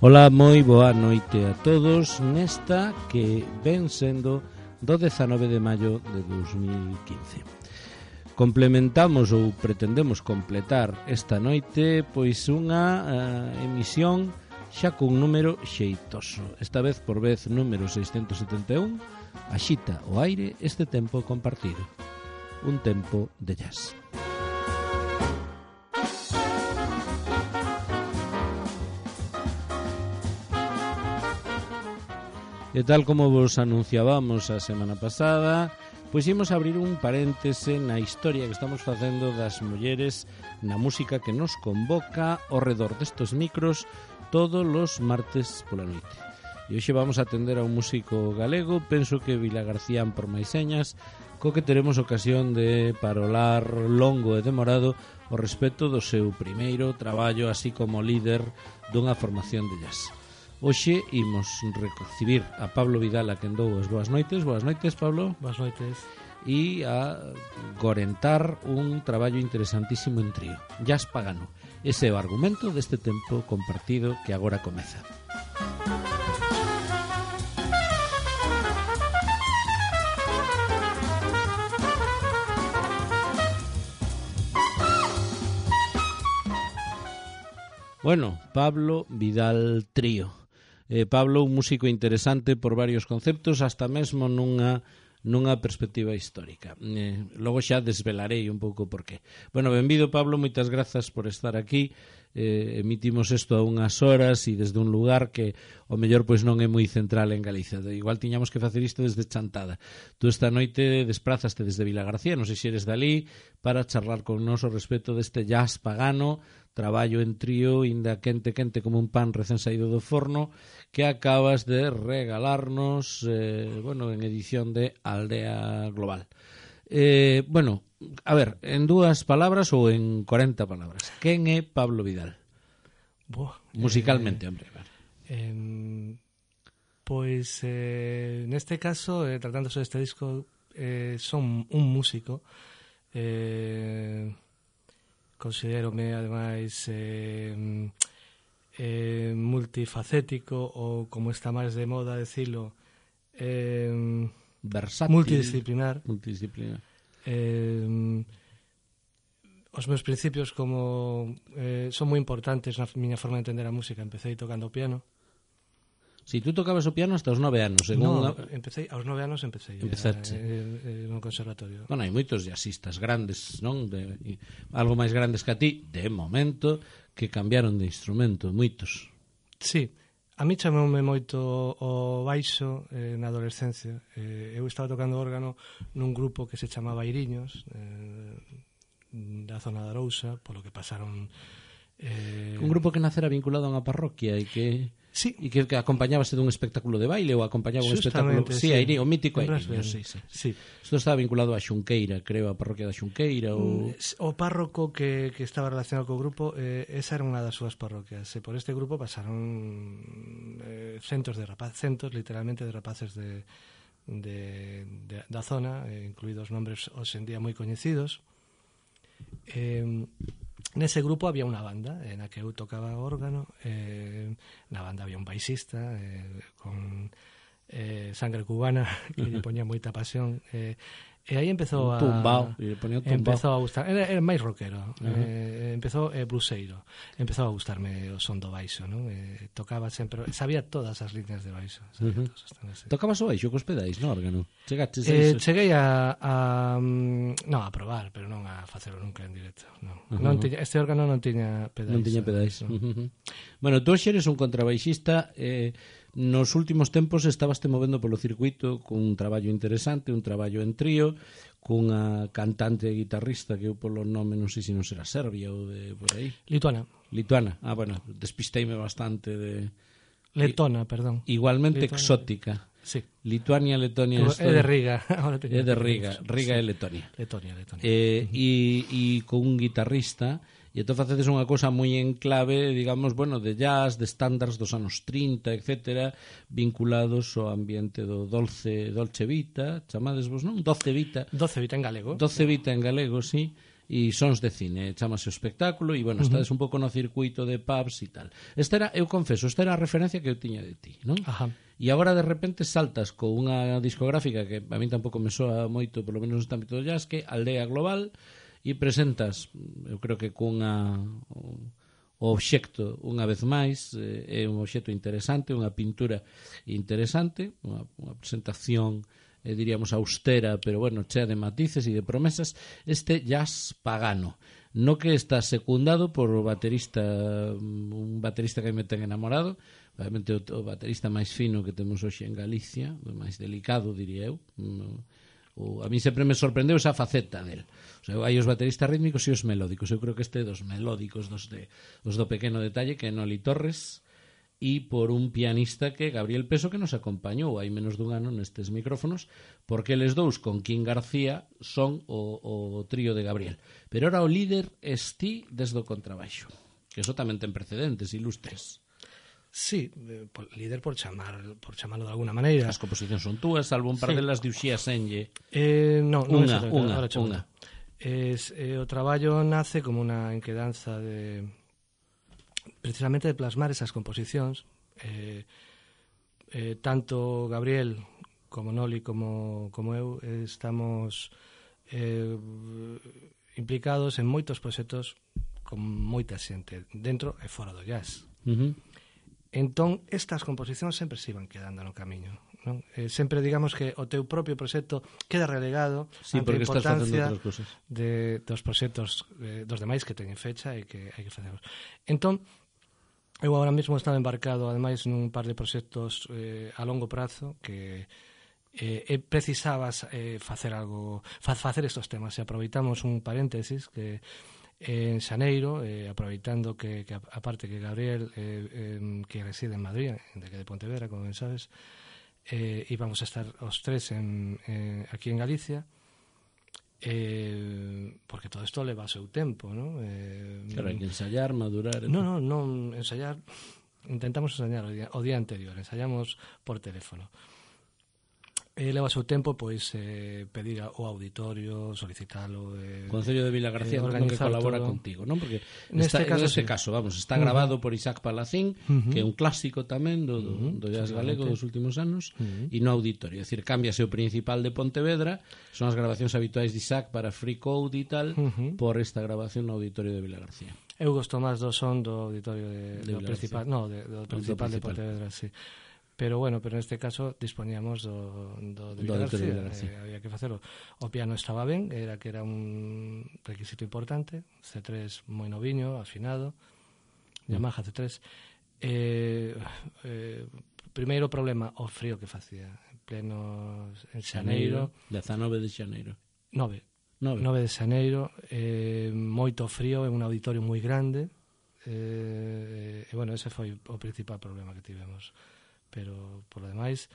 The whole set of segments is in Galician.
Ola, moi boa noite a todos nesta que ven sendo do 19 de maio de 2015. Complementamos ou pretendemos completar esta noite pois unha emisión xa cun número xeitoso. Esta vez por vez número 671, axita o aire este tempo compartido. Un tempo de jazz. E tal como vos anunciábamos a semana pasada, pois imos abrir un paréntese na historia que estamos facendo das mulleres na música que nos convoca ao redor destes micros todos os martes pola noite. E hoxe vamos a atender a un músico galego, penso que Vilagarcían por máis señas, co que teremos ocasión de parolar longo e demorado ao respecto do seu primeiro traballo, así como líder dunha formación de jazz. Hoxe imos recibir a Pablo Vidal, a quen dou as boas noites. Boas noites, Pablo. Boas noites. E a gorentar un traballo interesantísimo en trío, jazz pagano. Ese é o argumento deste tempo compartido que agora comeza. Bueno, Pablo Vidal Trío. Pablo, un músico interesante por varios conceptos, hasta mesmo nunha perspectiva histórica. Logo xa desvelarei un pouco por qué. Bueno, benvido, Pablo, moitas grazas por estar aquí. Emitimos isto a unhas horas e desde un lugar que o mellor pois non é moi central en Galicia. Igual tiñamos que facer isto desde Chantada. Tú esta noite desprazaste desde Vilagarcía, non sei se eres dali, para charlar con nos ao respecto deste jazz pagano, traballo en trío, inda quente como un pan recén saído do forno, que acabas de regalarnos en edición de Aldea Global. Bueno, a ver, en dúas palabras ou en 40 palabras, quen é Pablo Vidal? Musicalmente, hombre. Pois, neste caso, tratándose deste disco, son un músico, considerome ademais multifacético, ou como está máis de moda decilo, versátil, multidisciplinar. Os meus principios como son moi importantes na miña forma de entender a música. Empecé tocando o piano. Si tú tocabas o piano hasta os 9 anos, según empecé aos 9 anos no conservatorio. Bueno, hai moitos jazzistas grandes, non? Algo máis grandes que a ti, de momento, que cambiaron de instrumento, moitos. Sí, a mí chamoume moito o baixo na adolescencia. Eu estaba tocando órgano nun grupo que se chamaba Iriños, da zona da Arousa, polo que pasaron... Un grupo que nacera vinculado a unha parroquia e que... Sí. E que acompañábase dun espectáculo de baile ou acompañaba un espectáculo... Sí, o mítico Iriños, sí. Isto estaba vinculado a Xunqueira, creo, a parroquia da Xunqueira ou... O párroco que estaba relacionado co grupo, esa era unha das súas parroquias. E por este grupo pasaron centos, literalmente, de rapaces da zona, incluídos nombres hoxendía moi coñecidos. Nese grupo había unha banda na que eu tocaba órgano. Na banda había un baixista con sangre cubana que lle poñía moita pasión, e aí empezou a gustar. Era máis rockero, empezou bluseiro, empezou a gustarme o son do baixo, non? Tocaba sempre, sabía todas as líneas de baixo. Tocabas o baixo cos pedais no órgano? Cheguei a non a probar, pero non a facelo nunca en directo. Este órgano non tiña pedais. Non tiña pedais. Bueno, tú eres un contrabaixista. Nos últimos tempos estabaste movendo polo circuito con un traballo interesante, un traballo en trío, cunha cantante e guitarrista que eu polo nome non sei se non será Serbia ou de por aí. Lituana. Bueno, despisteime bastante de... Letona, perdón. Igualmente Lituana. Exótica. Sí. Lituania, Letonia... É de Riga. É de Riga. Riga é Letonia. Letonia. E con un guitarrista... E entón facedes unha cousa moi en clave, digamos, bueno, de jazz, de estándares dos anos 30, etcétera, vinculados ao ambiente do Dolce Vita, chamades vos, non? Doce Vita en galego. Doce Vita en galego, sí. e sons de cine, chamase o espectáculo e, bueno, estades un pouco no circuito de pubs e tal. Esta era, eu confeso, esta era a referencia que eu tiña de ti, non? Ajá. E agora de repente saltas con unha discográfica que a mí tampouco me soa moito, polo menos neste ámbito do jazz, que Aldea Global, e presentas, eu creo que cunha o obxecto, unha vez máis, é un obxecto interesante, unha pintura interesante, unha presentación, diríamos, austera, pero, bueno, chea de matices e de promesas, este jazz pagano, no que está secundado por un baterista que me ten enamorado, obviamente o baterista máis fino que temos hoxe en Galicia, o máis delicado, diría eu. A mí sempre me sorprendeu esa faceta del. O sea, hai os bateristas rítmicos e os melódicos. Eu creo que este é dos melódicos, os do pequeno detalle, que é Noli Torres, e por un pianista que Gabriel Peso, que nos acompañou hai menos dun ano nestes micrófonos, porque eles dous con Kim García son o trío de Gabriel. Pero ora o líder esti desde o contrabaixo, que eso tamén ten precedentes ilustres. Sí, líder por chamarlo de alguna maneira. As composicións son túas, salvo un par delas de Uxía Senlle. Non unha. O traballo nace como unha enquedanza de precisamente de plasmar esas composicións, tanto Gabriel como Noli como eu estamos implicados en moitos proxectos con moita xente dentro e fora do jazz. Entón estas composicións sempre se iban quedando no camiño, non? Sempre digamos que o teu propio proxecto queda relegado ante a importancia dos proxectos dos demais que teñen fecha e que hai que facerlos. Entón, eu agora mesmo estaba embarcado ademais nun par de proxectos a longo prazo que precisabas facer algo, facer estos temas, e aproveitamos un paréntesis que en xaneiro, aproveitando que aparte que Gabriel que reside en Madrid, de Pontevedra, como ben sabes, íbamos a estar os tres aquí en Galicia, porque todo isto leva o seu tempo, non? Claro, hai que ensayar, madurar. Non ensayar, intentamos ensayar o día anterior, ensayamos por teléfono. Leva o seu tempo, pois, pedir ao auditorio, solicitalo, o Concello de Vilagarcía que colabora contigo, non? Porque neste caso, vamos, está grabado por Isaac Palacín, que é un clásico tamén do jazz galego dos últimos anos, e no auditorio, é dicir, cámbiase o principal de Pontevedra, son as grabacións habituais de Isaac para Free Code e tal, por esta grabación no auditorio de Vilagarcía. Eu gosto máis do son do auditorio do principal de Pontevedra, sí. Pero bueno, neste caso dispoñíamos do de Vilagarcía, había que facelo. O piano estaba ben, era un requisito importante, C3 moi noviño, afinado, Yamaha C3. Primeiro problema, o frío que facía, en xaneiro. 19 de xaneiro. 9 de xaneiro, moito frío, en un auditorio moi grande, e bueno, ese foi o principal problema que tivemos. Pero, por lo demais,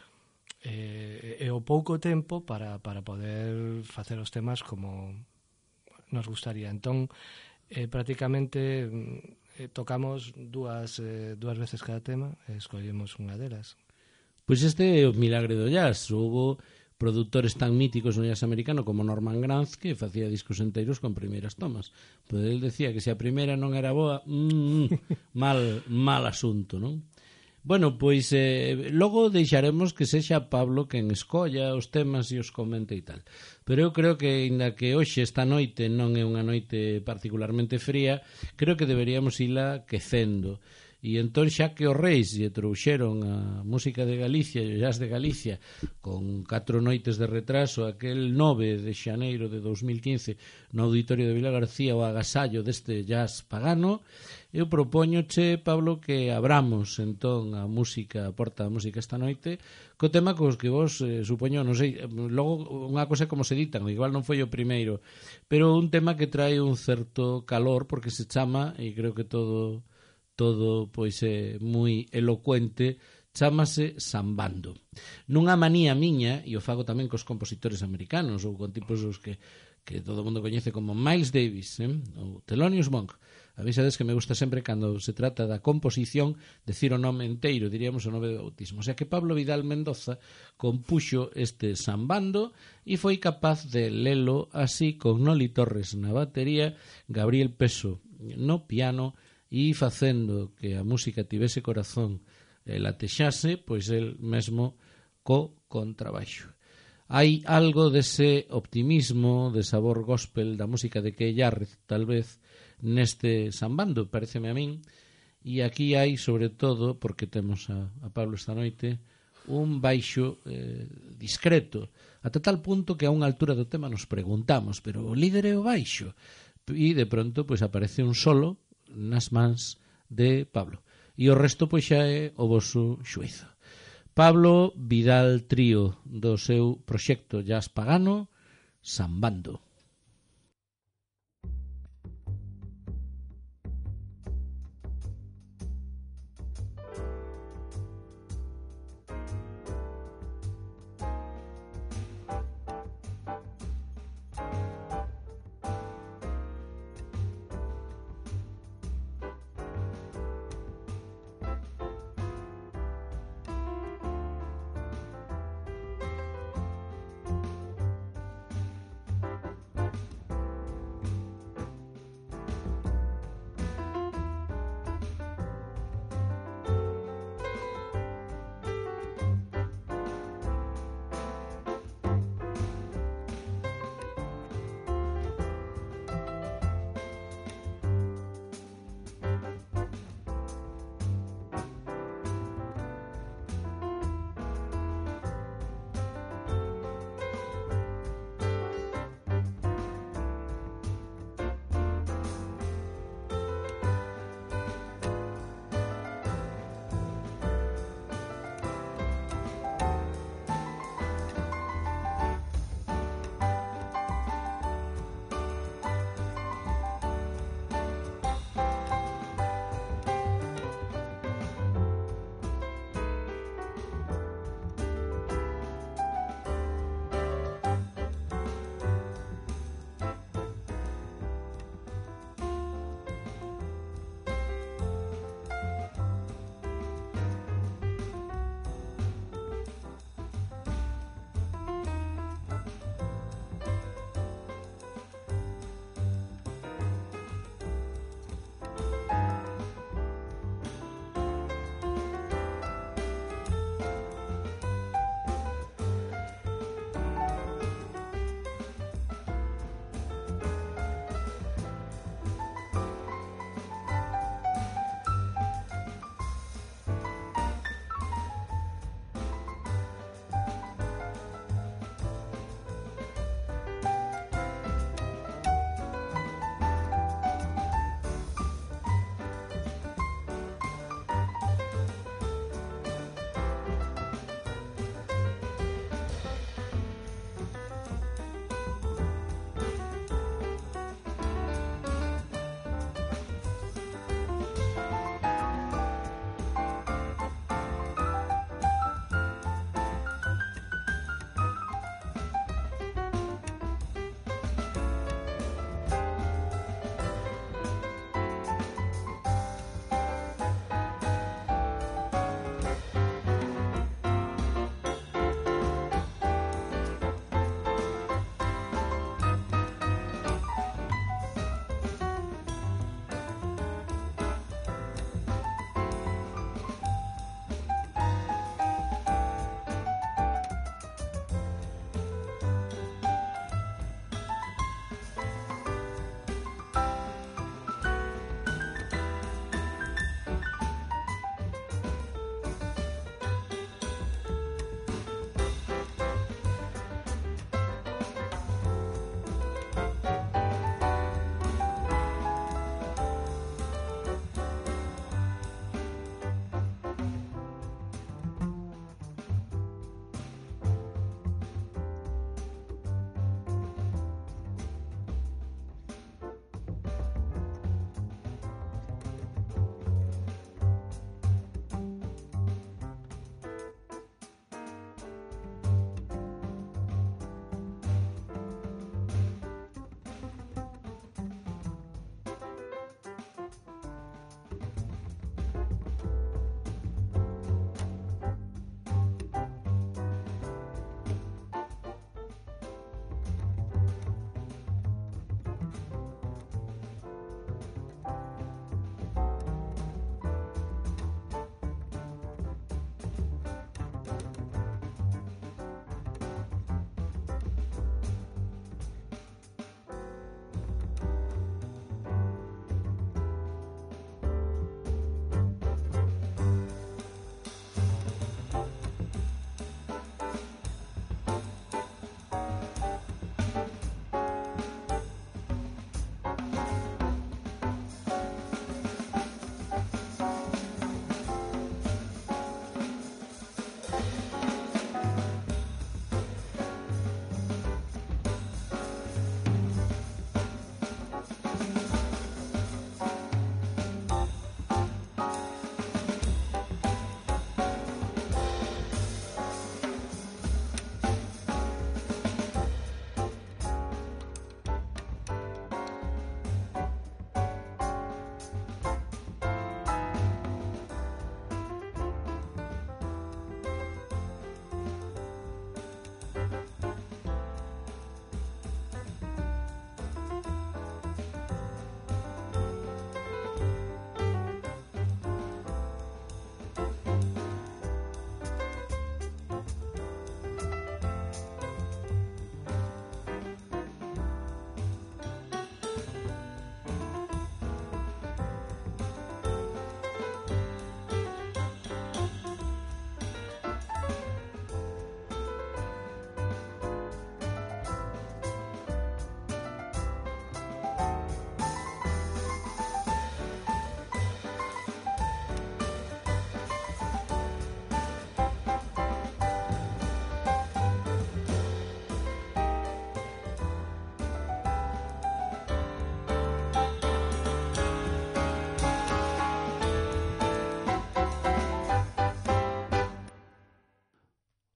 é o pouco tempo para poder facer os temas como nos gustaría. Entón, prácticamente tocamos dúas veces cada tema e escollemos unha delas. Pois este é o milagre do jazz. Houbo produtores tan míticos no jazz americano como Norman Granz, que facía discos enteiros con primeiras tomas. Pois ele decía que se a primeira non era boa, mal asunto, non? Bueno, pois logo deixaremos que sexa Pablo quen escolla os temas e os comente e tal. Pero eu creo que, ainda que hoxe esta noite non é unha noite particularmente fría, creo que deberíamos ila quecendo. E entón, xa que os reis lle trouxeron a música de Galicia e o jazz de Galicia con 4 noites de retraso, aquel 9 de xaneiro de 2015 no auditorio de Vilagarcía, o agasallo deste jazz pagano, eu propóñoche, Pablo, que abramos entón a música, a porta da música esta noite, co tema cos que vos, supoño, non sei, logo unha cosa como se ditan, igual non foi o primeiro, pero un tema que trae un certo calor, porque se chama, e creo que todo pois é moi elocuente, chámase Sambando. Nunha manía miña, e o fago tamén cos compositores americanos ou con tipos os que todo o mundo coñece como Miles Davis, ou Thelonious Monk, Avisades que me gusta sempre cando se trata da composición decir o nome enteiro, diríamos o nome do bautismo. O sea que Pablo Vidal Mendoza compuxo este sambando e foi capaz de lelo así con Noli Torres na batería, Gabriel Peso no piano e facendo que a música tivese corazón e latexase, pois el mesmo co contrabaixo. Hai algo dese optimismo, de sabor gospel da música de Key Jarrett, tal vez, neste sambando, pareceme a min, e aquí hai, sobre todo, porque temos a Pablo esta noite, un baixo discreto, ata tal punto que a unha altura do tema nos preguntamos, pero o líder é o baixo? E de pronto pois aparece un solo nas mans de Pablo. E o resto pois xa é o voso xuízo. Pablo Vidal Trío, do seu proxecto Jazz Pagano, Sambando.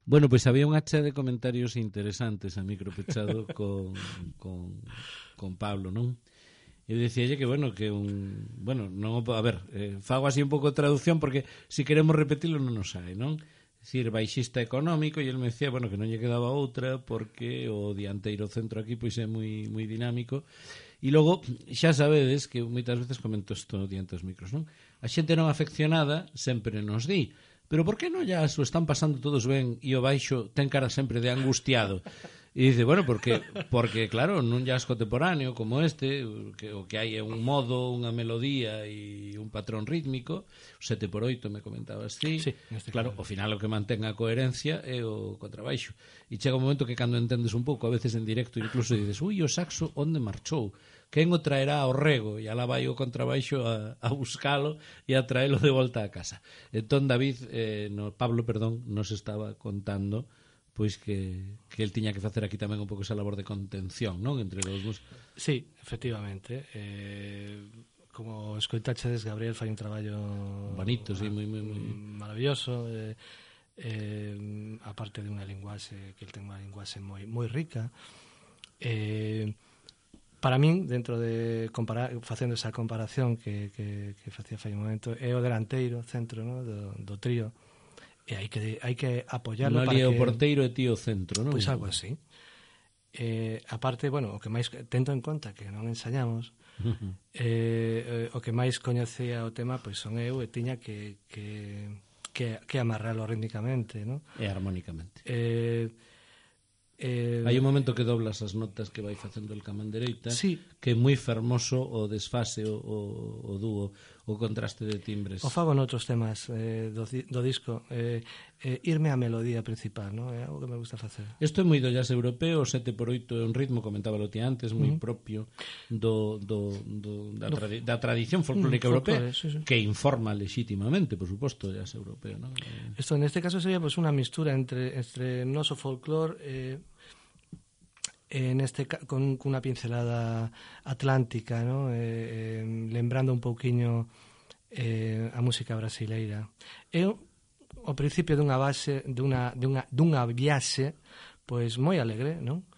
Bueno, pois había unha chea de comentarios interesantes a micro pechado con Pablo, non? Eu dicíalle que, bueno, que non, a ver, fago así un pouco de traducción porque se queremos repetilo non nos sai, non? Dicir, baixista económico, e ele me decía, bueno, que non lle quedaba outra porque o dianteiro centro aquí pois é moi dinámico. E logo, xa sabedes que moitas veces comento isto diante dos micros, non? A xente non afeccionada sempre nos di, pero por que non ya o están pasando todos ben e o baixo ten cara sempre de angustiado? E dice, bueno, porque claro, nun jazz contemporáneo como este, o que hai é un modo, unha melodía e un patrón rítmico, o 7x8 me comentabas ti, sí, claro, ao final o que mantén a coherencia é o contrabaixo. E chega un momento que cando entendes un pouco, a veces en directo incluso dices, ui, o saxo onde marchou? Quen o traerá ao rego? E alá vai o contrabaixo a buscalo e a traelo de volta a casa. Entón David, Pablo, nos estaba contando pois que el tiña que facer aquí tamén un pouco esa labor de contención, non? Entre os dos. Sí, efectivamente. Como escoitachedes, Gabriel fai un traballo bonito, sí, moi maravilloso. Aparte de unha linguaxe, que el ten unha linguaxe moi rica. Para min, dentro de facendo esa comparación que facía fai un momento, é o delanteiro centro, no? do trío. E hai que apoiarlo para que... o porteiro e tío centro, non? Pois algo así. Aparte, bueno, o que máis tento en conta que non ensaiamos, o que máis coñecía o tema pois son eu e tiña que amarralo rítmicamente, non? E armónicamente. Hai un momento que doblas as notas que vai facendo el caman dereita, sí, que é moi fermoso o desfase, o dúo, o contraste de timbres. O fago noutros temas do disco, irme á melodía principal, non? É algo que me gusta facer. Isto é moi do jazz europeo, o 7x8 é un ritmo, comentábalo ti antes, moi propio da tradición folclórica europea, sí. Que informa legítimamente, por suposto, o jazz europeo, non? Isto neste caso sería pues, unha mistura entre noso folclore con unha pincelada atlántica, ¿no? Lembrando un pouquiño a música brasileira. É o principio dunha base dunha viaxe pois moi alegre, non?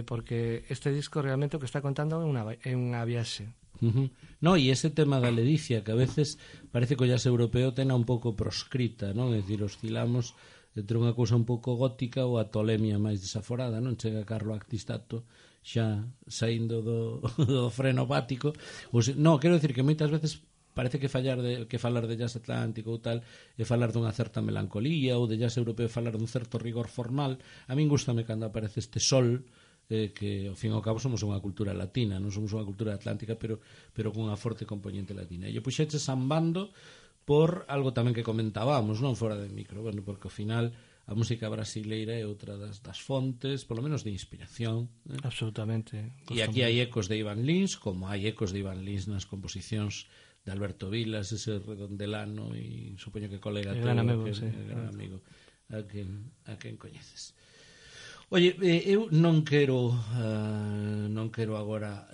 Porque este disco realmente o que está contando é unha viaxe. No, e ese tema da ledicia que a veces parece que o jazz europeo tena un pouco proscrita, non? É dicir, oscilamos entre unha cousa un pouco gótica ou a tolemia máis desaforada, non? Chega Carlo Actistato xa saindo do freno bático. No, quero dicir que moitas veces parece que falar de jazz atlántico ou tal é falar dunha certa melancolía, ou de jazz europeo falar dun certo rigor formal. A min gustame cando aparece este sol, que ao fin e ao cabo somos unha cultura latina, non somos unha cultura atlántica, pero con unha forte componente latina. E eu puxeche sambando por algo tamén que comentábamos, non fora de micro, bueno, porque ao final a música brasileira é outra das fontes, polo menos de inspiración, Absolutamente. E aquí hai ecos de Ivan Lins, como hai ecos de Ivan Lins nas composicións de Alberto Vilas, ese redondelano e supoño que colega teu, gran amigo, gran amigo a quen coñeces. Oye, eu non quero agora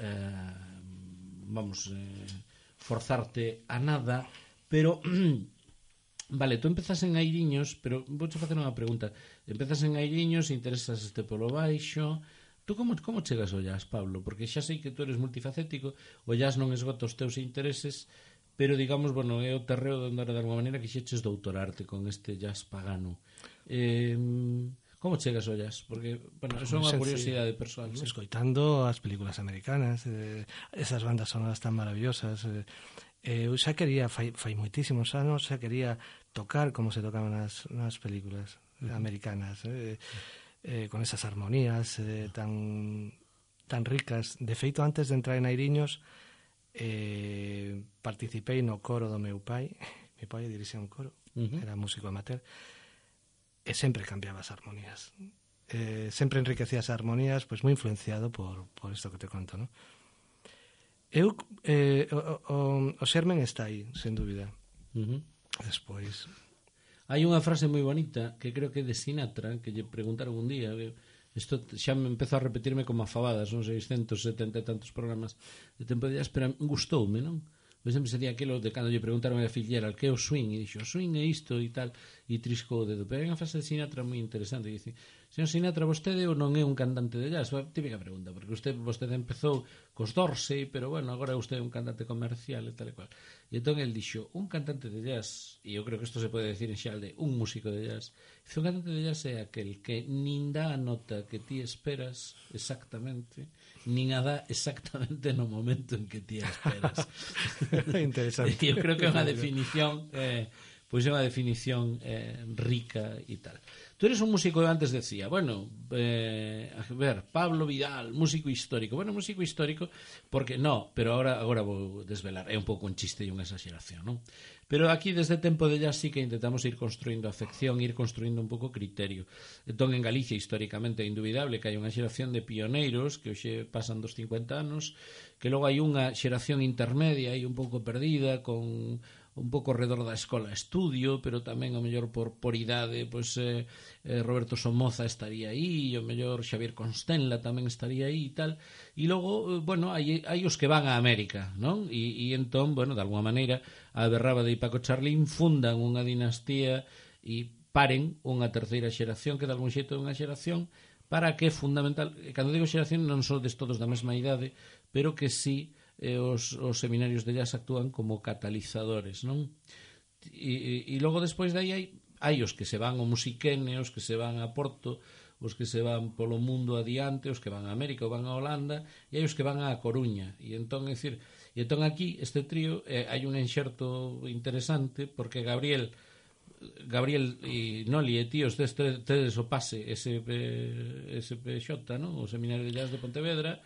forzarte a nada, pero vale, tú empezas en Airiños, pero vouche facer unha pregunta. Empezas en Airiños, interesas polo baixo. Tú como chegas ao jazz, Pablo? Porque xa sei que tú eres multifacético, o jazz non esgota os teus intereses, pero digamos, bueno, é o terreo onde de alguma maneira que xeches doutorarte con este jazz pagano. Como chegas ao jazz? Porque, bueno, é unha curiosidade persoal, ¿no? Escoitando as películas americanas, esas bandas sonoras tan maravillosas. Eu xa quería, fai moitísimos anos, xa quería tocar como se tocaban nas películas americanas, con esas armonías tan ricas. De feito, antes de entrar en Airiños, participei no coro do meu pai. Meu pai dirixía un coro, era músico amateur, e sempre cambiaba as armonías. Sempre enriquecía as armonías, pois moi influenciado por isto que te conto, non? O xermen está aí, sen dúbida. Despois hai unha frase moi bonita que creo que é de Sinatra, que lle preguntaron un día, isto xa me empezou a repetirme como a fabadas, non 670 e tantos programas de tempo de jazz, pero gustoume, non? Pois sempre sería aquilo de cando lle preguntaron a fillera que é o swing, e dixo, o swing é isto e tal, e triscou o dedo. Pero hai unha frase de Sinatra moi interesante, que dice: señor Sinatra, vostede ou non é un cantante de jazz? Típica pregunta, porque vostede empezou cos Dorsey, pero bueno, agora vostede é un cantante comercial e tal e cual. E entón el dixo, un cantante de jazz, e eu creo que isto se pode decir en xeral de un músico de jazz, dice, un cantante de jazz é aquel que nin dá a nota que ti esperas exactamente, nin a dá exactamente no momento en que ti a esperas. Interesante. Eu creo que é unha definición pois é unha definición rica e tal. Tú eres un músico, antes decía, bueno, a ver, Pablo Vidal, músico histórico. Bueno, músico histórico, porque no, pero agora vou desvelar, é un pouco un chiste e unha exageración, non? Pero aquí desde tempo de jazz sí que intentamos ir construindo afección, ir construindo un pouco criterio. Entón, en Galicia, históricamente, é indubidable que hai unha xeración de pioneiros que hoxe pasan dos 50 anos, que logo hai unha xeración intermedia e un pouco perdida, con un pouco alrededor da escola estudio, pero tamén o mellor por idade, pois Roberto Somoza estaría aí, e o mellor Xavier Constenla tamén estaría aí e tal. E logo, bueno, hai os que van a América, non? E entón, bueno, de alguma maneira, a Berrábade e Paco Charlín fundan unha dinastía e paren unha terceira xeración que de algún xeito é unha xeración para que é fundamental, cando digo xeración non sodes todos da mesma idade, pero que sí os seminarios de jazz actúan como catalizadores, non? E logo despois de aí hai os que se van ao Musiquene, os que se van a Porto, os que se van polo mundo adiante, os que van a América ou van a Holanda, e hai os que van a Coruña. E entón, aquí este trío hai un enxerto interesante, porque Gabriel e Noli e tíos tedes o pase SPJ, non? O Seminario de Jazz de Pontevedra,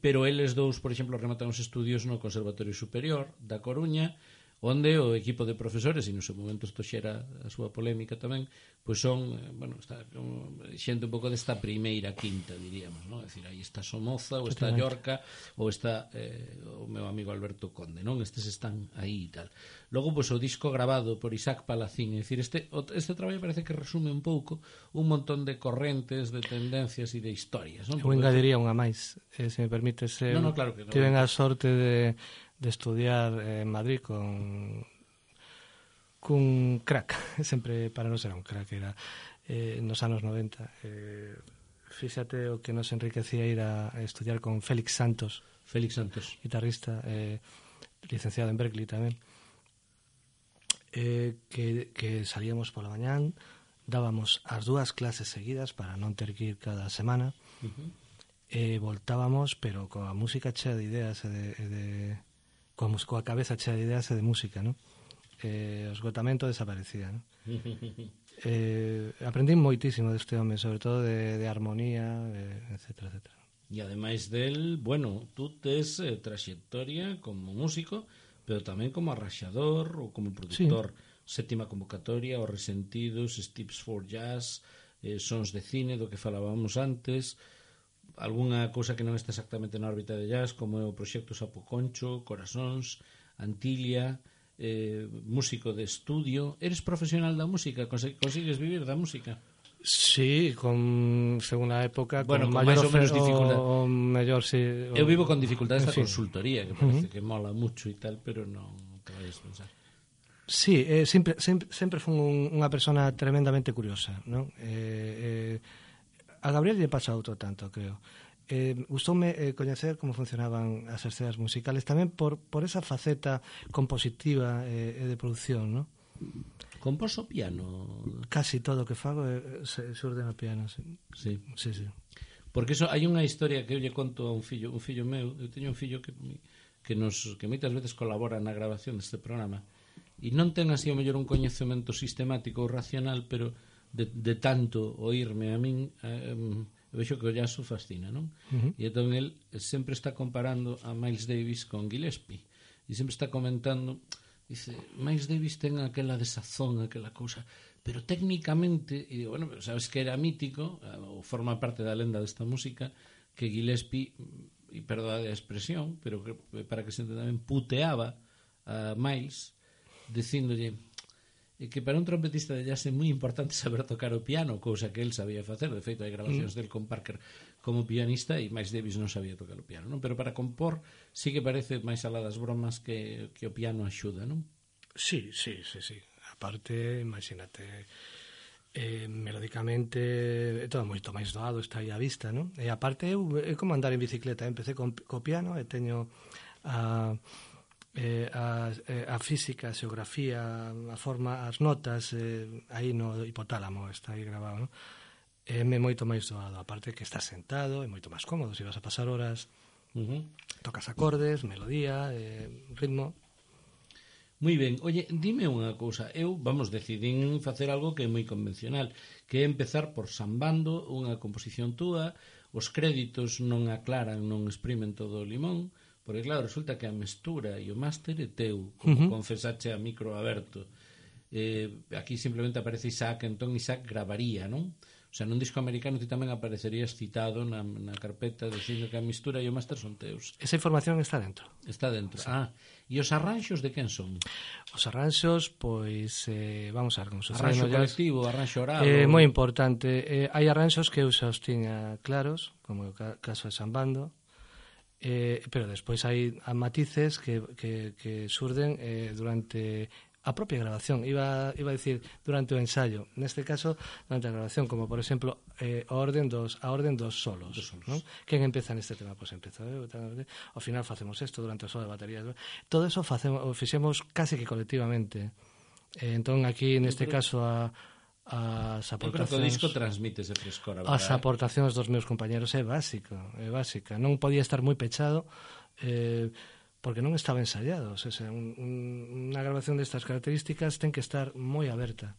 pero eles dous, por exemplo, rematan os estudios no Conservatorio Superior da Coruña, onde o equipo de profesores, e no seu momento isto xera a súa polémica tamén, pois son, bueno, está xente un pouco desta primeira quinta, diríamos, non? É dicir, aí está Somoza, ou está Llorca, ou está o meu amigo Alberto Conde, non? Estes están aí e tal. Logo, pois, o disco grabado por Isaac Palacín, é dicir, este traballo parece que resume un pouco un montón de correntes, de tendencias e de historias, non? Eu engadiría unha máis, se me permites. No, claro que non. Tiven a sorte de estudiar en Madrid cun crack, sempre para non ser un crack, era nos anos 90. Fíxate o que nos enriquecía ir a estudiar con Félix Santos, guitarrista, licenciado en Berkeley tamén, que salíamos pola mañán, dábamos as dúas clases seguidas para non ter que ir cada semana, e voltábamos, pero coa música chea de ideas e coa cabeza chea de ideas e de música, non? O esgotamento desaparecía, non? Aprendín moitísimo deste home, sobre todo de armonía, etcétera, etcétera. E ademais del, bueno, tú tes traxectoria como músico, pero tamén como arraxador ou como productor. Sí. Sétima convocatoria, Os Resentidos, Steps for Jazz, Sons de Cine, do que falábamos antes, algunha cousa que non está exactamente na órbita de jazz, como é o proxecto Sapo Concho, Corazóns, Antilia, músico de estudio. Eres profesional da música? Consigues vivir da música? Sí, según a época, bueno, con máis ou menos dificultad. Mellor, sí, eu vivo con dificultades da consultoría, que parece que mola mucho e tal, pero non te vayas a pensar. Sí, sempre fui unha persona tremendamente curiosa, non? A Gabriel lle pasa outro tanto, creo. Gustoume coñecer como funcionaban as escenas musicales, tamén por esa faceta compositiva e de produción, non? Compos o piano? Casi todo o que fago xurde no piano, sí. Sí. Sí, sí. Porque hai unha historia que eu lle conto a un fillo meu. Eu teño un fillo que moitas veces colabora na grabación deste programa, e non ten así o mellor un coñecemento sistemático ou racional, pero de tanto oírme a min, vexo que o jazz o fascina, non? E entón el sempre está comparando a Miles Davis con Gillespie, e sempre está comentando, dice, Miles Davis ten aquela desazón, aquela cousa, pero técnicamente, e digo, bueno, sabes que era mítico, ou forma parte da lenda desta música, que Gillespie, e perdoade a expresión, pero que, para que se entenda ben, puteaba a Miles, dicíndolle que para un trompetista de jazz é moi importante saber tocar o piano, cousa que el sabía facer. De feito, hai grabacións del con Parker como pianista, e Miles Davis non sabía tocar o piano, non? Pero para compor sí que parece máis alá das bromas que o piano axuda, non? Sí. Aparte, imagínate, melódicamente é todo moito máis doado, está aí á vista, non? E aparte é como andar en bicicleta, empecé co piano e teño a física, a xeografía, a forma, as notas aí no hipotálamo, está aí grabado, non? É moito máis doado, aparte que estás sentado, é moito máis cómodo, se vas a pasar horas, tocas acordes, melodía, ritmo. Moi ben, oye, dime unha cousa, eu, decidín facer algo que é moi convencional, que é empezar por sambando unha composición túa, os créditos non aclaran, non exprimen todo o limón, porque claro, resulta que a mestura e o máster é teu, como confesache a micro aberto. Aquí simplemente aparece Isaac, entón Isaac gravaría, non? O sea, nun disco americano ti tamén aparecerías citado na carpeta dicindo que a mistura e o máster son teus. Esa información está dentro. Está dentro. Sí. E os arranxos de quen son? Os arranxos, pois, vamos a ver como sucede. Arranxo colectivo, arranxo oral? Moi importante. Hai arranxos que eu xa os tiña claros, como o caso de Sambando, pero despois hai matices que surden durante a propia grabación, iba a decir durante o ensayo, neste caso durante a grabación, como por exemplo a orden dos solos, ¿no? Quen empeza neste tema? Pois empezo eu, ao final facemos isto durante o solo de batería, todo eso fixemos casi que colectivamente, entón aquí neste caso as aportacións, eu creo que o disco transmite ese frescor, as aportacións dos meus compañeros é básica, non podía estar moi pechado porque non estaba ensayado, o sea, unha grabación destas características ten que estar moi aberta.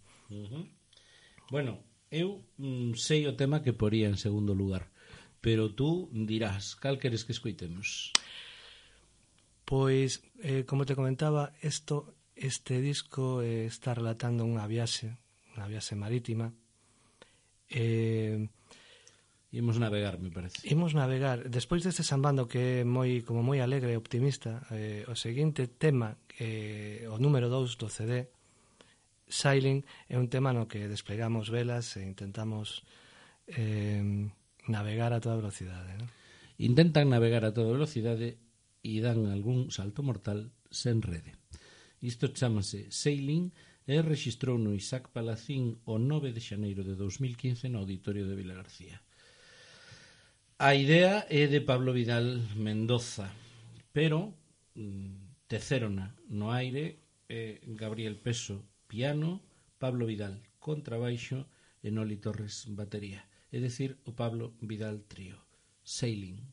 Bueno, eu sei o tema que poría en segundo lugar, pero tú dirás, cal queres que escoitemos? Pois, como te comentaba, este disco está relatando unha viaxe marítima. Imos navegar, me parece. Imos navegar. Despois deste Sambando que é moi alegre e optimista, o seguinte tema, o número 2 do CD, Sailing, é un tema no que desplegamos velas e intentamos navegar a toda velocidade, ¿no? Intentan navegar a toda velocidade e dan algún salto mortal sen rede. Isto chamase Sailing e rexistrou no Isaac Palacín o 9 de xaneiro de 2015 no Auditorio de Vilagarcía. A idea é de Pablo Vidal Mendoza, pero tecérona no aire Gabriel Peso, piano, Pablo Vidal, contrabaixo e Noli Torres, batería. É dicir, o Pablo Vidal Trío. Sailing.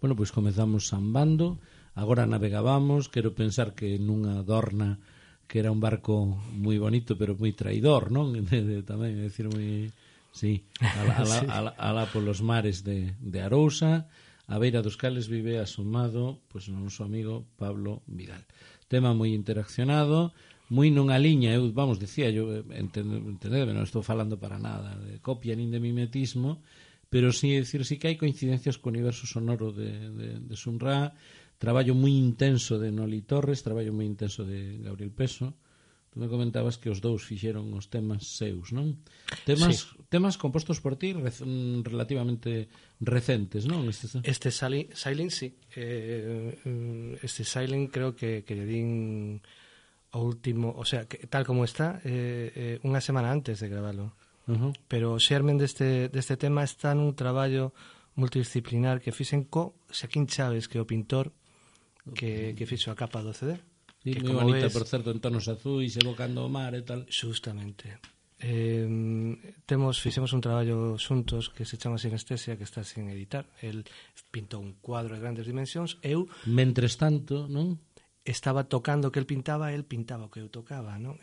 Bueno, pois comezamos sambando, agora navegábamos, quero pensar que nunha dorna que era un barco moi bonito, pero moi traidor, non? Tamén, é dicir, moi... Sí, alá polos mares de Arousa, a beira dos cales vive asomado pois o noso amigo Pablo Vidal. Tema moi interaccionado, moi nunha liña, eu, vamos, dicía, eu entendedme, non estou falando para nada de copia nin de mimetismo, pero sí, decir, sí que hai coincidencias co universo sonoro de Sun Ra, traballo moi intenso de Noli Torres, traballo moi intenso de Gabriel Peso. Tú me comentabas que os dous fixeron os temas seus, non? Temas compostos por ti relativamente recentes, non? Este Silent, sí. Este Silent creo que lle din o último, o sea, que, tal como está, unha semana antes de gravalo. Pero o xermen deste tema está nun traballo multidisciplinar que fixen co Xaquín Chaves, que é o pintor que fixo a capa do CD. Sí, moi bonita, por certo, en tonos azuis, evocando o mar e tal. Justamente. Fixemos un traballo xuntos que se chama Sinestesia, que está sin editar. El pintou un cuadro de grandes dimensións. Eu, mentres tanto, non? Estaba tocando o que el pintaba o que eu tocaba, non?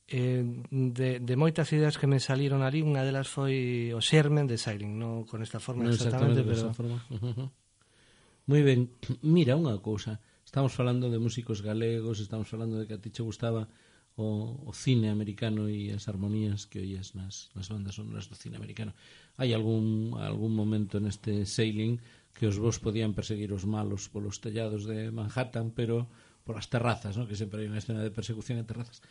De moitas ideas que me saliron ali, unha delas foi o xermen de Silent, non con esta forma exactamente, pero... Moi ben, mira unha cousa, estamos falando de músicos galegos, estamos falando de que a ti che gustaba o cine americano e as armonías que oías nas bandas sonoras do cine americano. Hai algún momento neste Sailing que os vos podían perseguir os malos polos tellados de Manhattan, pero polas terrazas, ¿no? Que sempre hai unha escena de persecución en terrazas.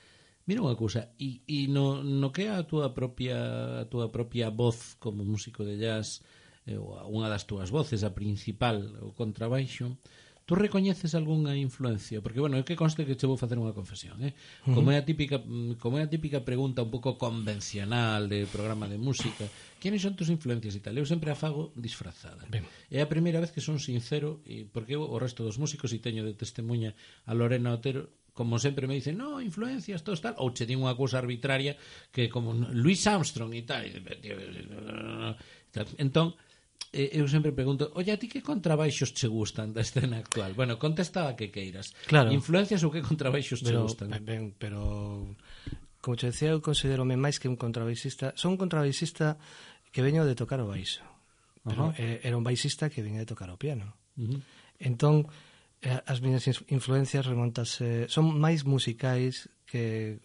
Mira unha cousa, e no que é a túa propia voz como músico de jazz, unha das túas voces, a principal, o contrabaixo, tú recoñeces algunha influencia? Porque, bueno, é que conste que che vou facer unha confesión, como é a típica pregunta un pouco convencional de programa de música, quenes son tus influencias e tal? Eu sempre a fago disfrazada. Ben. É a primeira vez que son sincero, porque eu, o resto dos músicos, e teño de testemunha a Lorena Otero, como sempre me dicen, no, influencias, todo tal, ou che din unha cousa arbitraria que como Louis Armstrong e tal. Entón, eu sempre pregunto, oye, a ti que contrabaixos che gustan da escena actual? Bueno, contesta a que queiras. Claro. Influencias ou que contrabaixos che gustan? Ben, pero como che decía, eu considerome máis que un contrabaixista. Son un contrabaixista que veño de tocar o baixo. Pero era un baixista que veña de tocar o piano. Entón, as miñas influencias remontase, son máis musicais que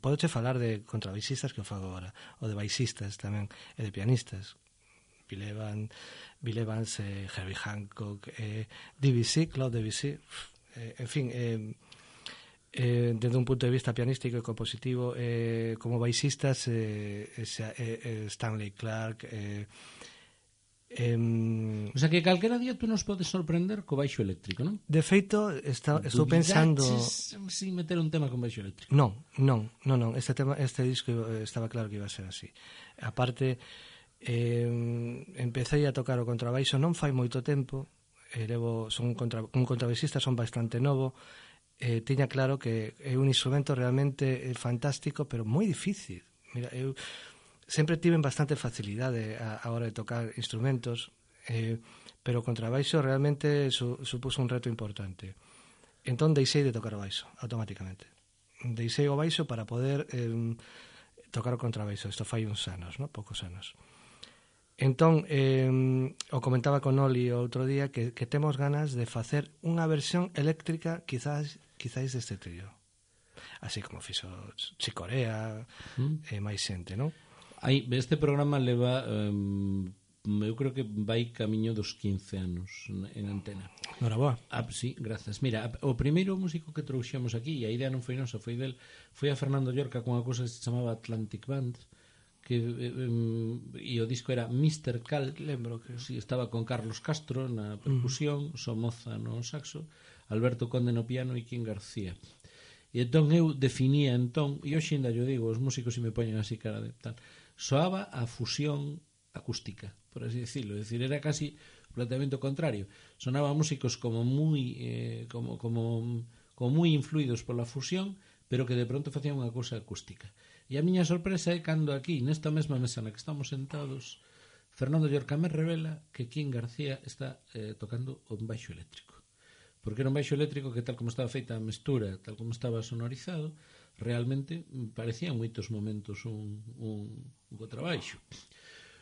podoche falar de contrabaixistas que o fago agora, ou de baixistas tamén, e de pianistas. Bill Evans, Herbie Hancock, Debussy, Claude Debussy, en fin, desde un punto de vista pianístico e compositivo, como baixistas, Stanley Clarke, o sea que calquera día tú nos podes sorprender co baixo eléctrico, non? De feito, estou pensando... sin meter un tema con baixo eléctrico? Non. Este disco estaba claro que iba a ser así. Aparte, empecé a tocar o contrabaixo non fai moito tempo, son un contrabaixista, son bastante novo, tiña claro que é un instrumento realmente fantástico, pero moi difícil. Mira, eu sempre tiven bastante facilidade a hora de tocar instrumentos, pero o contrabaixo realmente supuso un reto importante. Entón deixei de tocar o baixo automáticamente. Deixei o baixo para poder tocar o contrabaixo. Isto fai uns anos, ¿no? Poucos anos. Entón, o comentaba con Oli o outro día que temos ganas de facer unha versión eléctrica quizás deste trío. Así como fixo Chicorea e máis xente, non? Este programa leva eu creo que vai camiño dos 15 anos en antena. Noraboa. Sí, grazas. Mira, o primeiro músico que trouxemos aquí, e a idea non foi nosa, foi a Fernando Llorca con unha cousa que se chamaba Atlantic Band, que e o disco era Mr. Cal, lembro que estaba con Carlos Castro na percusión, Somoza no saxo, Alberto Conde no piano e Kim García. E entón eu definía e hoxe ainda yo digo, os músicos se me poñen así cara de tal, soaba a fusión acústica, por así decirlo, é dicir, era casi o planteamento contrario, sonaba músicos como moi como moi influídos pola fusión, pero que de pronto facían unha cousa acústica. E a miña sorpresa é cando aquí, nesta mesma mesa na que estamos sentados, Fernando Llorcamés revela que King García está tocando un baixo eléctrico. Porque era un baixo eléctrico que, tal como estaba feita a mestura, tal como estaba sonorizado, realmente parecía en moitos momentos un contrabaixo.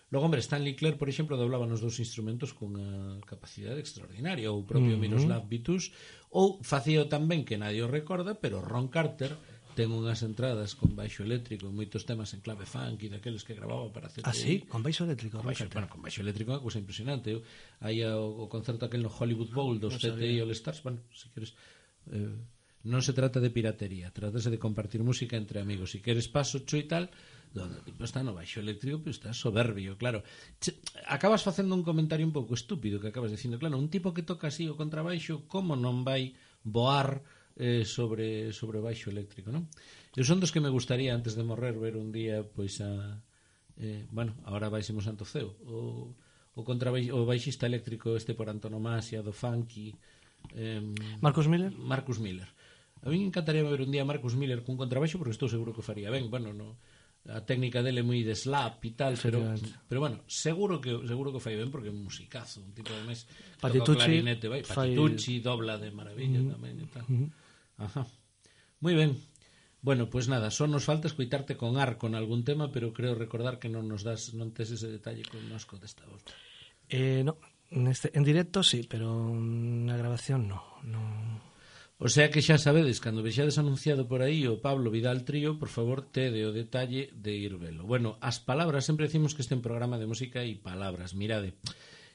Logo, hombre, Stanley Clarke, por exemplo, doblaba nos dous instrumentos con a capacidade extraordinaria, ou o propio Miroslav Vitous, ou facía tamén que nadie o recorda, pero Ron Carter ten unhas entradas con baixo eléctrico, moitos temas en clave funk e daqueles que grababa para CTI. Ah, sí? Con baixo eléctrico? Con baixo eléctrico é unha cousa impresionante. Hai o concerto aquel no Hollywood Bowl dos CTI All Stars. Bueno, se queres... non se trata de piratería, trátase de compartir música entre amigos. Se queres paso, cho e tal, donde tipo está no baixo eléctrico, pero está soberbio, claro. Acabas facendo un comentario un pouco estúpido que acabas dicindo, claro, un tipo que toca así o contrabaixo, como non vai voar sobre o baixo eléctrico, non? Eu son dos que me gustaría antes de morrer ver un día pois a bueno, agora vaisemos Santo Ceo o baixista eléctrico este por antonomasia do funky, Marcus Miller. A mí me encantaría ver un día a Marcus Miller cun contrabaixo, porque estou seguro que o faría ben. Bueno, no, a técnica dele é moi de slap e tal, pero bueno, seguro que o fai ben, porque é un musicazo, un tipo de mes Patitucci, Patitucci dobla de maravilla tamén e tal. Ajá. Moi ben. Bueno, pois nada, só nos falta escoitarte con ar con algún tema, pero creo recordar que non tes ese detalle connosco desta volta. No, en directo sí, pero na grabación no. O sea que xa sabedes, cando vexades anunciado por aí o Pablo Vidal Trío, por favor, tede o detalle de ir velo. Bueno, as palabras, sempre decimos que este é un programa de música e palabras. Mirade,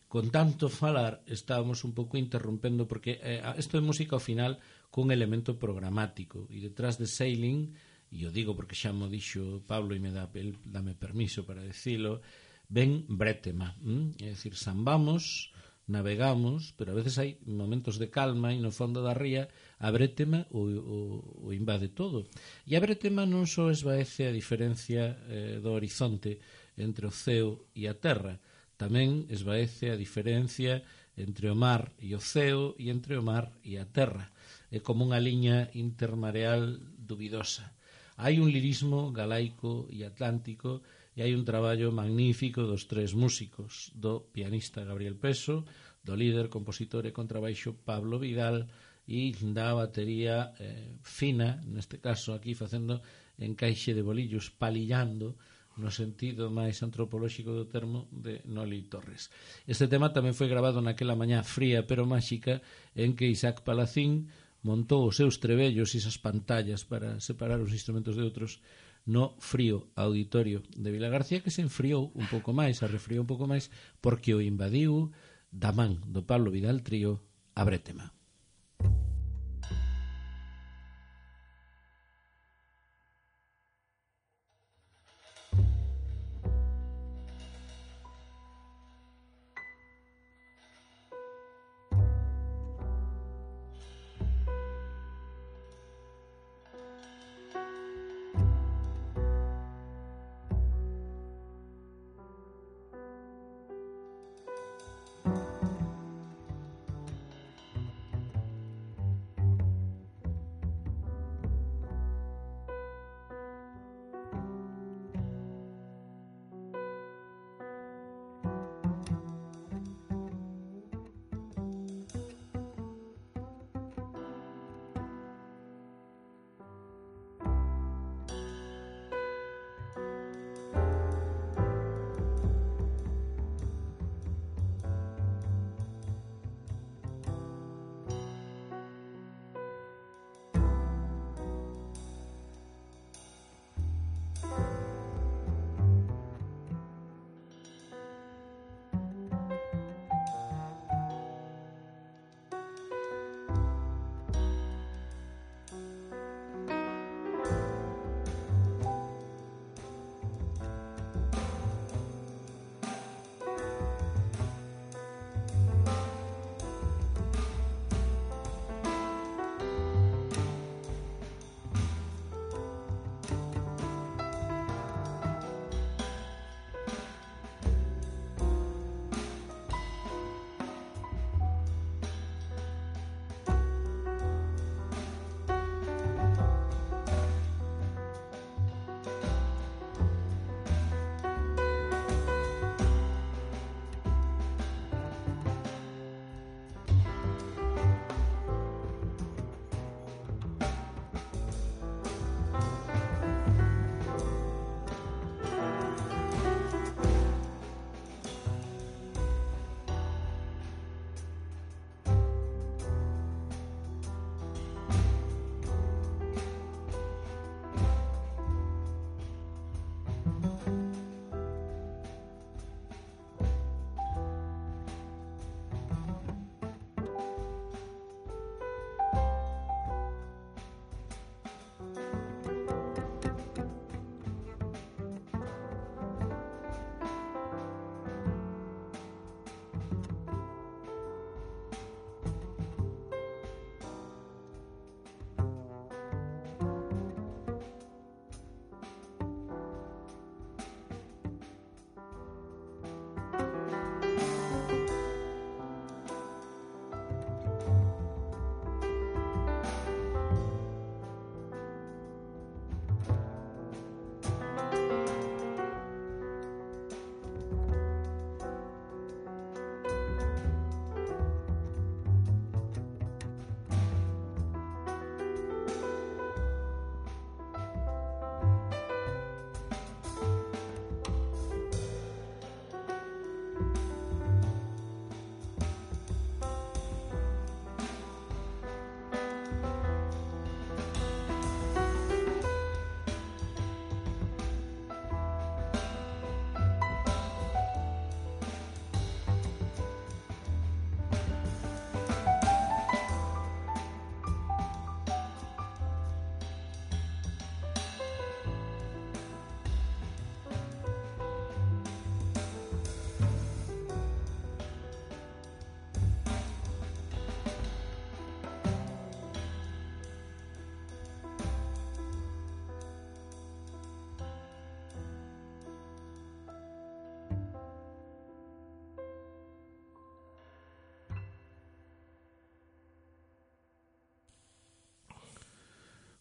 con tanto falar estábamos un pouco interrompendo, porque isto é música ao final cun elemento programático, e detrás de Sailing, e o digo porque xa mo dixo Pablo e dame permiso para decilo, ven brétema, é dicir, sambamos, navegamos, pero a veces hai momentos de calma e no fondo da ría a brétema o invade todo. E a brétema non só esvaece a diferencia do horizonte entre o ceo e a terra, tamén esvaece a diferencia entre o mar e o ceo e entre o mar e a terra. É como unha liña intermareal dubidosa. Hai un lirismo galaico e atlántico e hai un traballo magnífico dos tres músicos, do pianista Gabriel Peso, do líder, compositor e contrabaixo Pablo Vidal e da batería fina, neste caso aquí facendo encaixe de bolillos, palillando no sentido máis antropolóxico do termo de Noli Torres. Este tema tamén foi grabado naquela mañá fría pero máxica en que Isaac Palacín montou os seus trebellos e esas pantallas para separar os instrumentos de outros no frío auditorio de Vilagarcía, que se enfriou un pouco máis, arrefriou un pouco máis, porque o invadiu da man do Pablo Vidal Trío a brétema.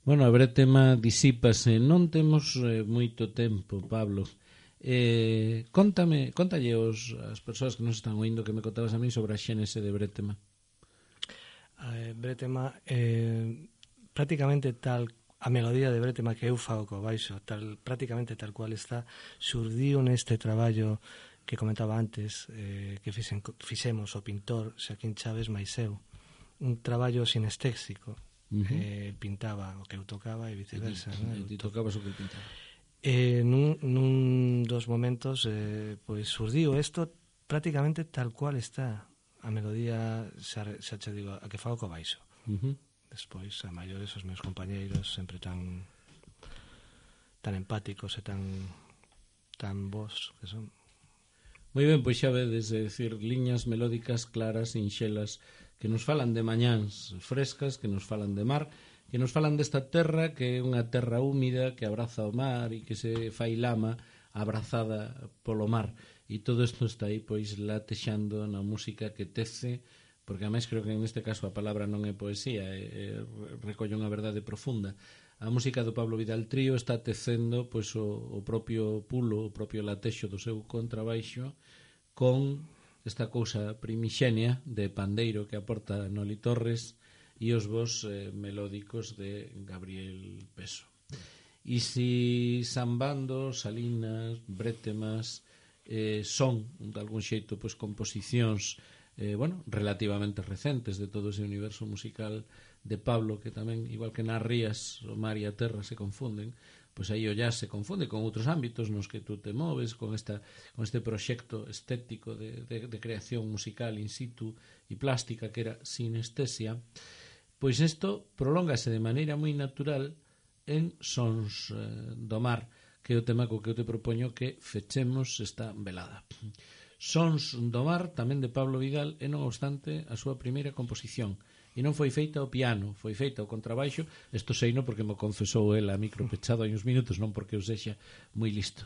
Bueno, a Brétema disípase. Non temos moito tempo, Pablo. Contalle as persoas que nos están oindo que me contabas a mí sobre a xénese de Brétema. Brétema, prácticamente tal, a melodía de Brétema que eu fago co baixo, prácticamente tal cual está, surdiu neste traballo que comentaba antes, que fixemos o pintor Xaquín Chaves máis eu, un traballo sinestésico. Pintaba o que eu tocaba e viceversa, e ti tocabas o que pintaba. Nun dos momentos pois surdiu isto prácticamente tal cual está a melodía, xa che digo, a que fago co baixo. Despois, a maiores, os meus compañeiros sempre tan empáticos e tan bons que son. Moi ben, pois xa vedes, decir, liñas melódicas claras, sinxelas, que nos falan de mañáns frescas, que nos falan de mar, que nos falan desta terra que é unha terra húmida que abraza o mar e que se fai lama abrazada polo mar. E todo isto está aí pois latexando na música que tece, porque ademais creo que neste caso a palabra non é poesía, recolle unha verdade profunda. A música do Pablo Vidal Trío está tecendo pois o propio pulo, o propio latexo do seu contrabaixo con esta cousa primixenia de pandeiro que aporta Noli Torres e os vos melódicos de Gabriel Peso. E si Sambando, Salinas, Brétemas son de algún xeito pois composicións relativamente recentes de todo ese universo musical de Pablo, que tamén, igual que nas rías, o mar e a terra se confunden, pois aí o jazz se confunde con outros ámbitos nos que tú te moves, con este proxecto estético de creación musical in situ e plástica que era sinestesia. Pois isto prolóngase de maneira moi natural en Sons do Mar, que é o tema co que eu te propoño que fechemos esta velada. Sons do Mar, tamén de Pablo Vidal, é non obstante a súa primeira composición. E non foi feita ao piano, foi feita ao contrabaixo. Isto seino porque me confesou el a micro pechado hai uns minutos, non porque eu sexa moi listo.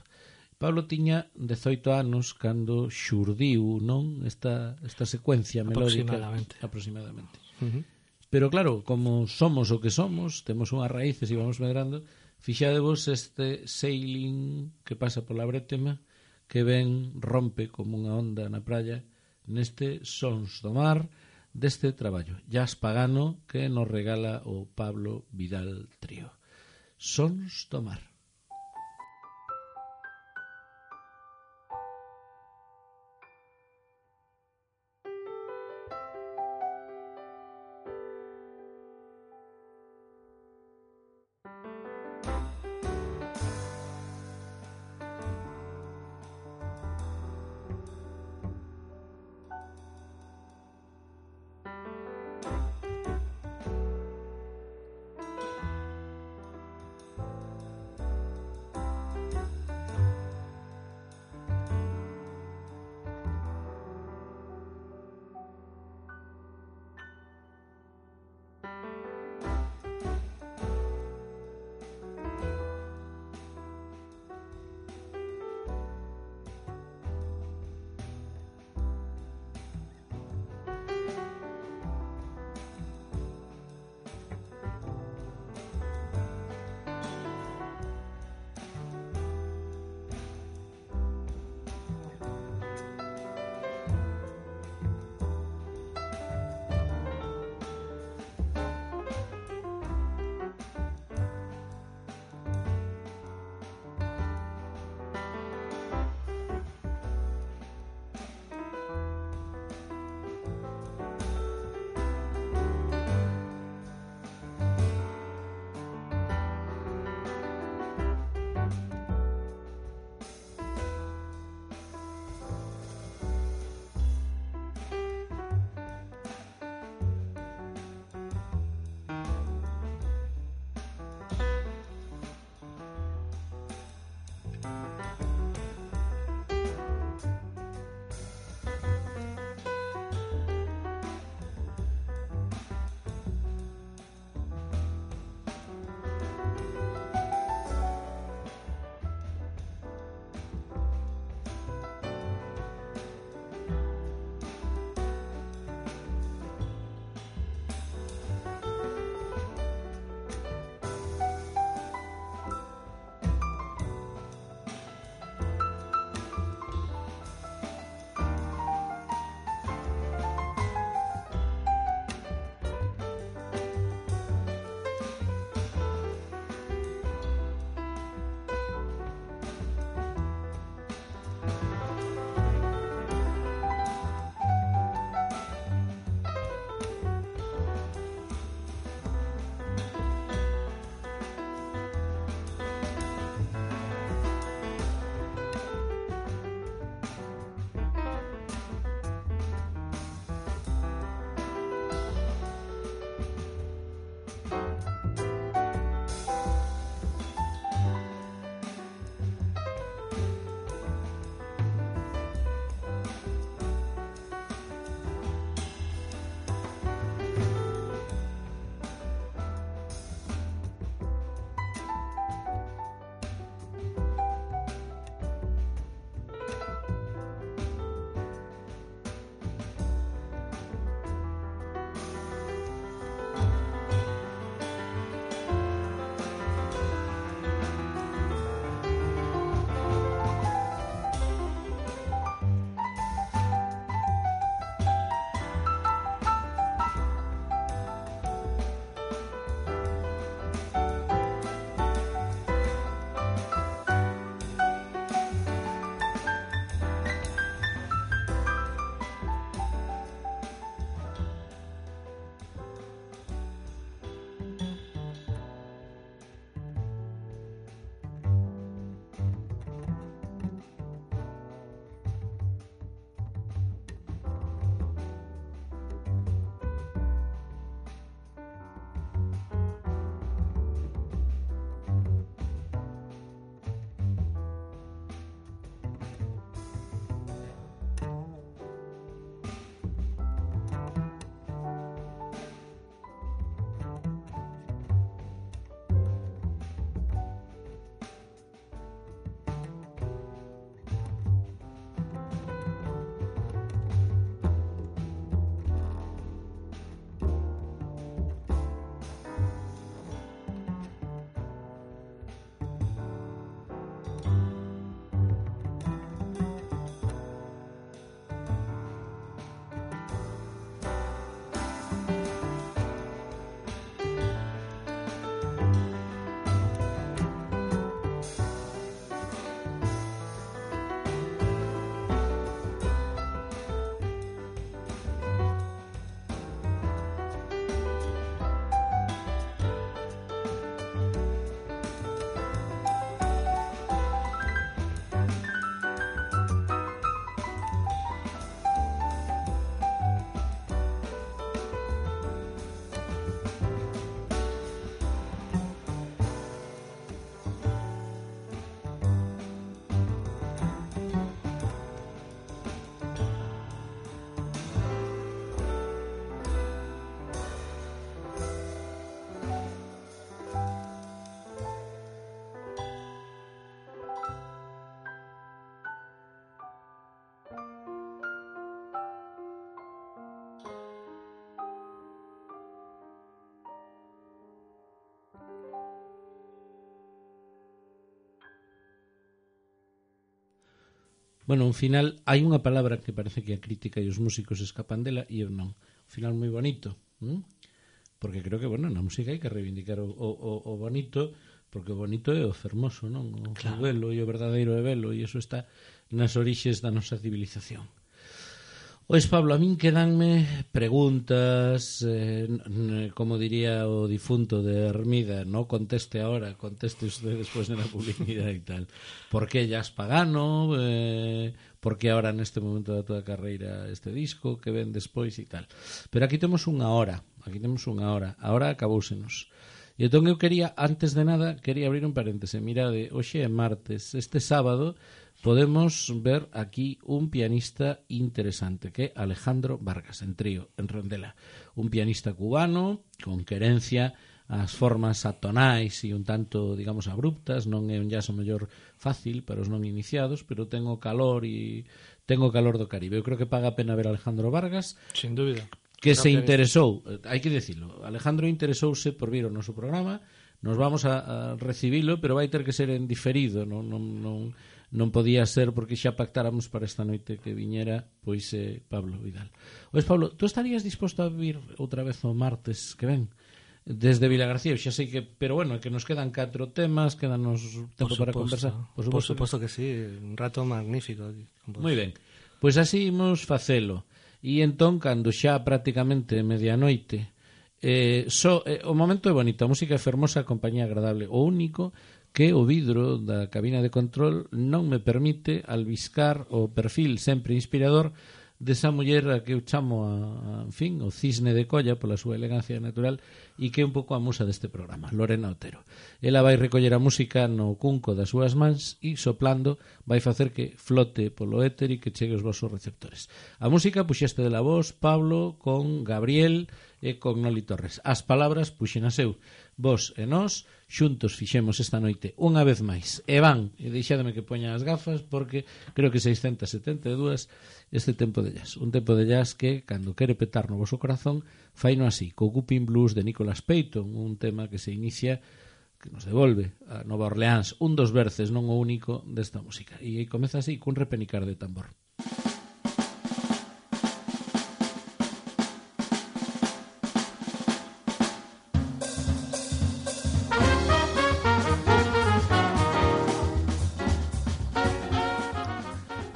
Pablo tiña 18 anos cando xurdiu, non, esta secuencia melódica aproximadamente. Pero claro, como somos o que somos, temos unhas raíces e vamos medrando, fixadevos este sailing que pasa pola Brétema, que ven, rompe como unha onda na praia, neste Sons do Mar, deste traballo, jazz pagano que nos regala o Pablo Vidal Trío. Sons do Mar. Bueno, un final, hai unha palabra que parece que a crítica e os músicos escapan dela e eu non. Un final moi bonito, porque creo que, bueno, na música hai que reivindicar o bonito, porque o bonito é o fermoso, non? O belo e o verdadeiro é belo, e iso está nas orixes da nosa civilización. Ois, Pablo, a min quedanme preguntas, como diría o difunto de Hermida, no conteste ahora, conteste usted despois na publicidade e tal. Por que Jazz Pagano? Por que ahora neste momento da tua carreira este disco? Que ven despois e tal. Pero aquí temos unha hora, ahora acaboúsenos. E entón eu quería, antes de nada, quería abrir un paréntese. Mirade, hoxe é martes, este sábado podemos ver aquí un pianista interesante, que é Alejandro Vargas, en trío, en rondela. Un pianista cubano, con querencia ás formas atonais e un tanto, digamos, abruptas. Non é un jazz o mellor fácil para os non iniciados, pero ten o calor do Caribe. Eu creo que paga a pena ver a Alejandro Vargas. Sin dúbida. Que se interesou, hai que dicilo, Alejandro interesouse por vir ao noso programa. Nos vamos a recibilo, pero vai ter que ser en diferido, non podía ser porque xa pactáramos para esta noite que viñera pois Pablo Vidal. Ois, Pablo, tú estarías disposto a vir outra vez o martes que ven desde Vilagarcía? Xa sei que, pero bueno, que nos quedan 4 temas, quedanos tempo para conversar. Por suposto que sí, un rato magnífico. Moi ben, pois así imos facelo. E entón, cando xa prácticamente medianoite, o momento é bonito, a música é fermosa, a compañía agradable. O único que o vidro da cabina de control non me permite albiscar o perfil sempre inspirador desa muller a que eu chamo en fin, o cisne de colla pola súa elegancia natural e que é un pouco a musa deste programa, Lorena Otero. Ela vai recoller a música no cunco das súas mans e soplando vai facer que flote polo éter e que chegue aos vosos receptores. A música puxeste de la voz, Pablo, con Gabriel e con Noli Torres. As palabras puxenas eu. Vos e nós xuntos fixemos esta noite unha vez máis. E van, e deixádeme que poña as gafas porque creo que 672 este tempo de jazz. Un tempo de jazz que, cando quere petar no voso corazón, faino así, co Whooping Blues de Nicholas Payton, un tema que se inicia, que nos devolve a Nova Orleans, un dos verses, non o único, desta música. E comeza así, cun repenicar de tambor.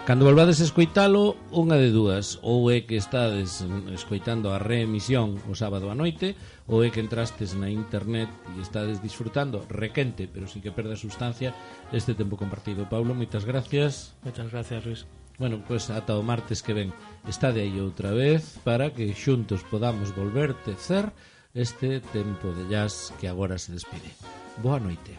Cando volvades a escoitalo, unha de dúas, ou é que estades escoitando a reemisión o sábado a noite, ou é que entrastes na internet e estades disfrutando requente, pero sin que perda sustancia, este tempo compartido. Paulo, moitas gracias. Moitas gracias, Luis. Bueno, pois ata o martes que ven. Estade aí outra vez para que xuntos podamos volver tecer este tempo de jazz que agora se despide. Boa noite.